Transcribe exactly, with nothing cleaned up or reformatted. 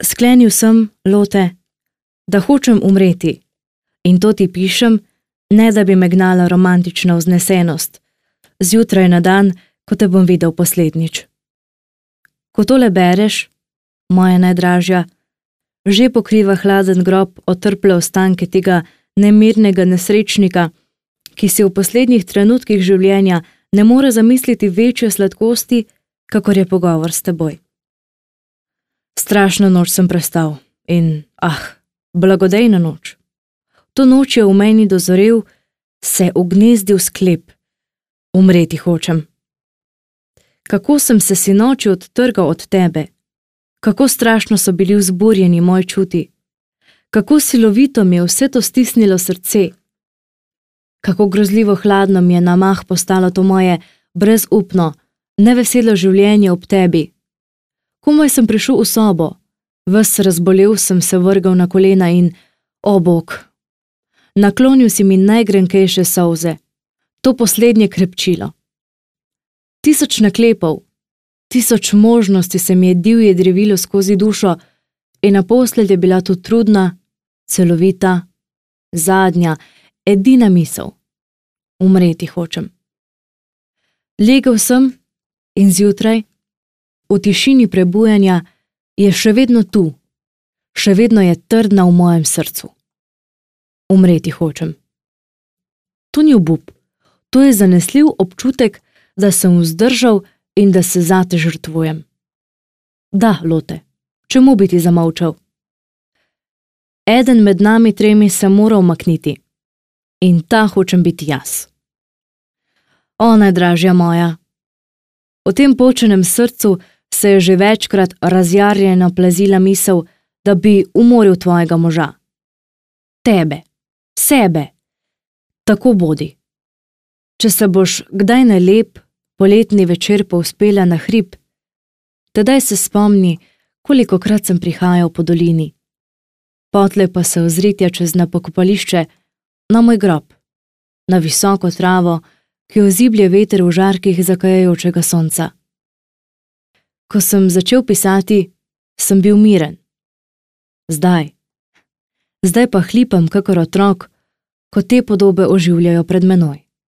Sklenil sem, Lotte, da hočem umreti, in to ti pišem, ne da bi me gnala romantična vznesenost, zjutraj na dan, ko te bom videl poslednjič. Ko tole bereš, moja najdražja, že pokriva hladen grob otrple ostanke tega nemirnega nesrečnika, ki si v poslednjih trenutkih življenja ne more zamisliti večje sladkosti, kakor je pogovor s teboj. Strašno noč sem prestal in, ah, blagodejna noč. To noč je v meni dozorel, se ugnezdil sklep. Umreti hočem. Kako sem se sinoči odtrgal od tebe, kako strašno so bili vzburjeni moji čuti, kako silovito mi je vse to stisnilo srce, kako grozljivo hladno mi je na mah postalo to moje brezupno, neveselo življenje ob tebi. Komaj sem prišel v sobo, ves razbolel sem se vrgal na kolena in, o Bog, naklonil si mi najgrenkejše solze, to poslednje krepčilo. Tisoč naklepov, tisoč možnosti se mi je divje drevilo skozi dušo in naposled je bila to trudna, celovita, zadnja, edina misel. Umreti hočem. Legel sem in zjutraj, v tišini prebujanja, je še vedno tu, še vedno je trdna v mojem srcu. Umreti hočem. To ni obup, to je zanesljiv občutek, da sem vzdržal in da se zate žrtvujem. Da, Lotte, čemu bi ti zamolčal? Eden med nami tremi se mora umakniti in ta hočem biti jaz. O, najdražja moja, v tem počenem srcu se je že večkrat razjarjeno plazila misel, da bi umoril tvojega moža. Tebe, sebe, tako bodi. Če se boš kdaj na lep, poletni večer povzpela na hrib, tedaj se spomni, kolikokrat sem prihajal po dolini. Potlej pa se ozritja čez na pokopališče, na moj grob, na visoko travo, ki jo ziblje veter v žarkih zakajajočega sonca. Ko sem začel pisati, sem bil miren. Zdaj, zdaj pa hlipam kakor otrok, ko te podobe oživljajo pred menoj.